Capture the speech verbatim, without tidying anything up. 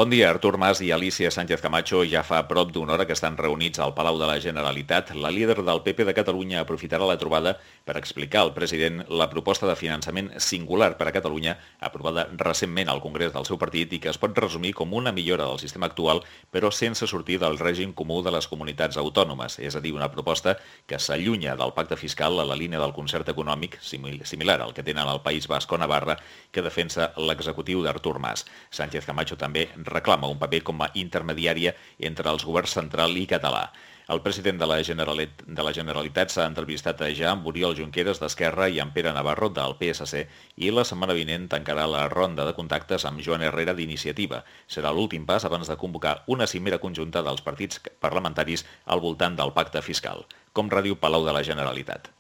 Bon dia, Artur Mas i Alícia Sánchez Camacho ja fa prop d'una hora que estan reunits al Palau de la Generalitat. La líder del P P de Catalunya aprofitarà la trobada per explicar al president la proposta de finançament singular per a Catalunya aprovada recentment al Congrés del seu partit i que es pot resumir com una millora del sistema actual, però sense sortir del règim comú de les comunitats autònomes, és a dir, una proposta que s'allunya del pacte fiscal a la línia del concert econòmic, similar al que tenen al País Basc o Navarra, que defensa l'executiu d'Artur Mas. Sánchez Camacho també reclama un paper com a intermediària entre els governs central i català. El president de la Generalit- de la Generalitat s'ha entrevistat ja amb Oriol Junqueras d'Esquerra i amb Pere Navarro del P S C i la setmana vinent tancarà la ronda de contactes amb Joan Herrera d'Iniciativa. Serà l'últim pas abans de convocar una cimera conjunta dels partits parlamentaris al voltant del pacte fiscal. Com ràdio Palau de la Generalitat.